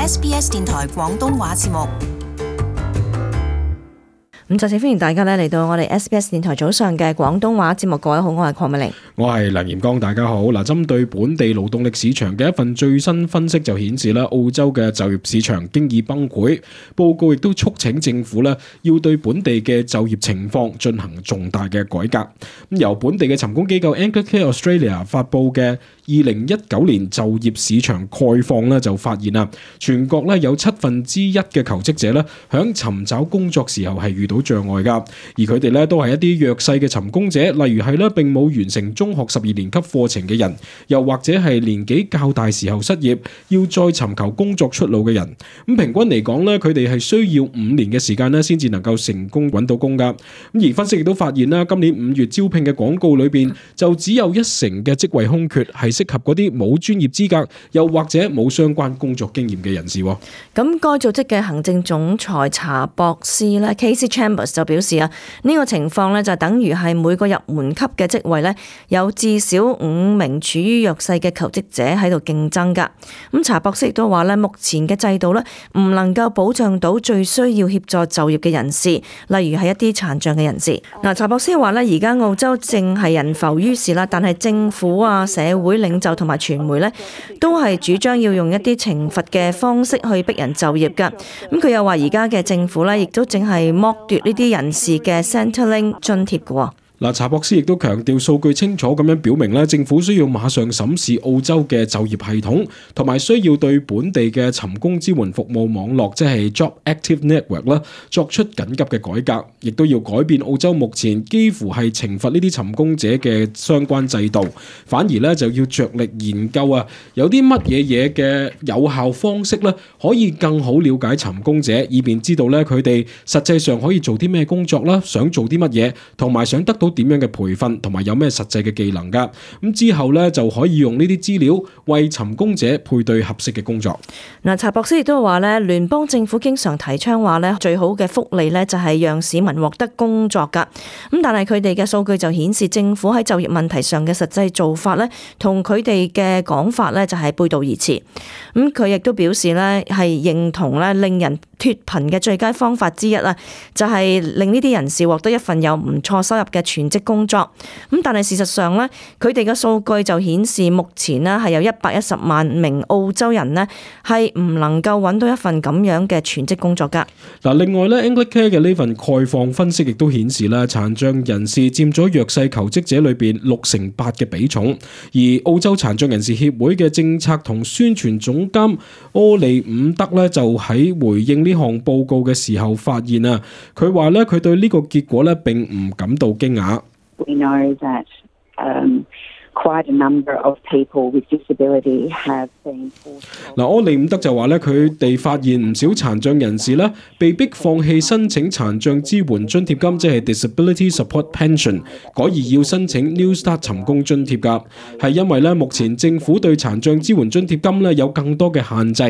SBS 電台廣東話節目。咁再次歡迎大家嚟到我哋 SBS 電台早上嘅廣東話節目。各位好，我係鄺美玲，我係梁炎光，大家好。嗱，針對本地勞動力市場嘅一份最新分析就顯示啦，澳洲嘅就業市場經已崩潰。報告亦都促請政府咧要對本地嘅就業情況進行重大嘅改革。咁由本地嘅尋工機構 Anglicare Australia 發布嘅2019年就業市場概況咧，就發現啦，全國咧有1/7嘅求職者咧響尋找工作時候係遇到障礙噶，而佢哋咧都係一啲弱勢嘅尋工者，例如係咧並冇完成中學12年級課程嘅人，又或者係年紀較大時候失業，要再尋求工作出路嘅人。咁平均嚟講咧，佢哋係需要5年嘅時間咧，先至能夠成功揾到工噶。咁而分析亦都發現啦，今年5月招聘嘅廣告裏邊，就只有1成嘅職位空缺係適合嗰啲冇專業資格，又或者冇相關工作經驗嘅人士。咁該組織嘅行政總裁查博斯咧 Casey Chambers 就表示啊，呢個情況咧就等於係每個入門級嘅職位咧有至少5名處於弱勢嘅求職者喺度競爭噶。咁查博斯亦都話咧，目前嘅制度咧唔能夠保障到最需要協助就業嘅人士，例如係一啲殘障嘅人士。查博斯話咧，而家澳洲正係人浮於事啦，但係政府啊、社會領袖同埋傳媒咧都係主張要用一啲懲罰嘅方式去逼人就業噶。咁佢又話而家嘅政府咧亦都正係剝奪呢啲人士嘅 Centrelink 津貼嘅。查博斯亦都強調，數據清楚咁樣表明咧，政府需要馬上審視澳洲嘅就業系統，同埋需要對本地嘅尋工支援服務網絡，即係 Job Active Network 啦，作出緊急嘅改革，亦都要改變澳洲目前幾乎係懲罰呢啲尋工者嘅相關制度，反而咧就要着力研究有啲乜嘢嘅有效方式咧，可以更好了解尋工者，以便知道咧佢哋實際上可以做啲咩工作啦，想做啲乜嘢，同埋想得到點樣嘅培訓，同埋有咩實際嘅技能噶。咁之後咧就可以用呢啲資料為尋工者配對合適嘅工作。查博斯亦都話咧，聯邦政府經常提倡話咧，最好嘅福利咧就係讓市民獲得工作噶。咁但係佢哋嘅數據就顯示，政府喺就業問題上嘅實際做法咧，同佢哋嘅講法咧就係背道而馳。咁佢亦都表示咧係認同咧令人脫貧嘅最佳方法之一啊，就係令呢啲人士獲得一份有唔錯收入嘅全職工作。咁但係事實上咧，佢哋嘅數據就顯示目前咧係有110萬名澳洲人咧係唔能夠揾到一份咁樣嘅全職工作噶。另外咧 Anglicare 嘅呢份概況分析亦都顯示啦，殘障人士佔咗弱勢求職者裏邊68%嘅比重。而澳洲殘障人士協會嘅政策同宣傳總監柯利伍德咧就喺回應呢項報告嘅時候發現佢話咧佢對呢個結果咧並唔感到驚訝。We know that quite a number of people with disability have been forced. 柯利伍德就話咧，佢哋發現唔少殘障人士咧被逼放棄申請殘障支援津貼金，即係 Disability Support Pension， 改而要申請 New Start 尋工津貼㗎，係因為咧目前政府對殘障支援津貼金咧有更多嘅限制。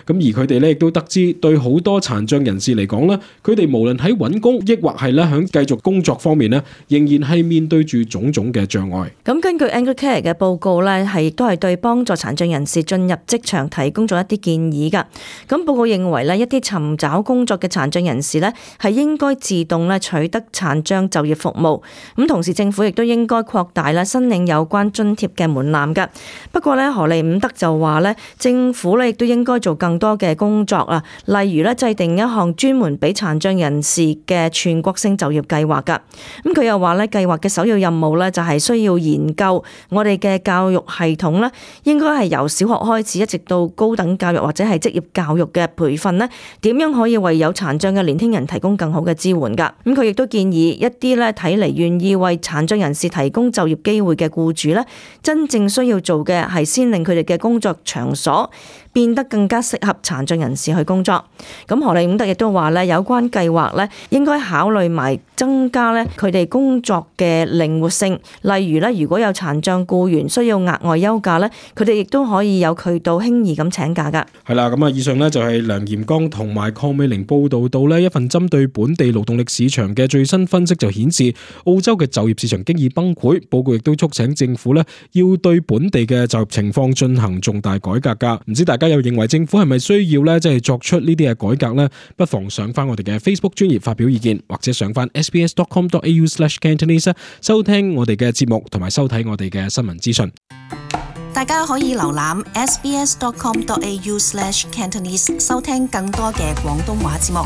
咁而佢哋咧亦都得知，對好多殘障人士嚟講咧，佢哋無論喺揾工，抑或係咧喺繼續工作方面咧，仍然係面對住種種嘅障礙。咁根據 Anglicare 嘅報告咧，都係對幫助殘障人士進入職場提供咗一啲建議㗎。咁報告認為咧，一啲尋找工作嘅殘障人士咧係應該自動咧取得殘障就業服務。咁同時政府亦都應該擴大咧申領有關津貼嘅門檻㗎。不過咧，荷利伍德就話咧，政府咧亦都應該做更多嘅工作啊，例如咧制定一項專門俾殘障人士嘅全國性就業計劃㗎。咁佢又話咧，計劃嘅首要任務咧就係需要研究我哋嘅教育系統咧，應該係由小學開始一直到高等教育或者係職業教育嘅培訓咧，點樣可以為有殘障嘅年輕人提供更好嘅支援㗎？咁佢亦都建議一啲咧睇嚟願意為殘障人士提供就業機會嘅僱主咧，真正需要做嘅係先令佢哋嘅工作場所變得更加適合殘障人士去工作。咁荷利伍德亦都話咧，有關計劃咧應該考慮埋增加咧佢哋工作嘅靈活性，例如咧如果有殘障僱員需要額外休假咧，佢哋亦都可以有渠道輕易咁請假㗎。係啦，咁以上咧就係梁炎光同埋鄺美玲報道到呢一份針對本地勞動力市場嘅最新分析，就顯示澳洲嘅就業市場經已崩潰。報告亦都促請政府咧要對本地嘅就業情況進行重大改革㗎。唔知大家家又認為政府係咪需要咧即係作出呢啲嘅改革呢？不妨上翻我哋嘅 Facebook 專頁發表意見，或者上翻 sbs.com.au/Cantonese 收聽我哋嘅節目同埋收睇我哋嘅新聞資訊。大家可以瀏覽 sbs.com.au/Cantonese 收聽更多嘅廣東話節目。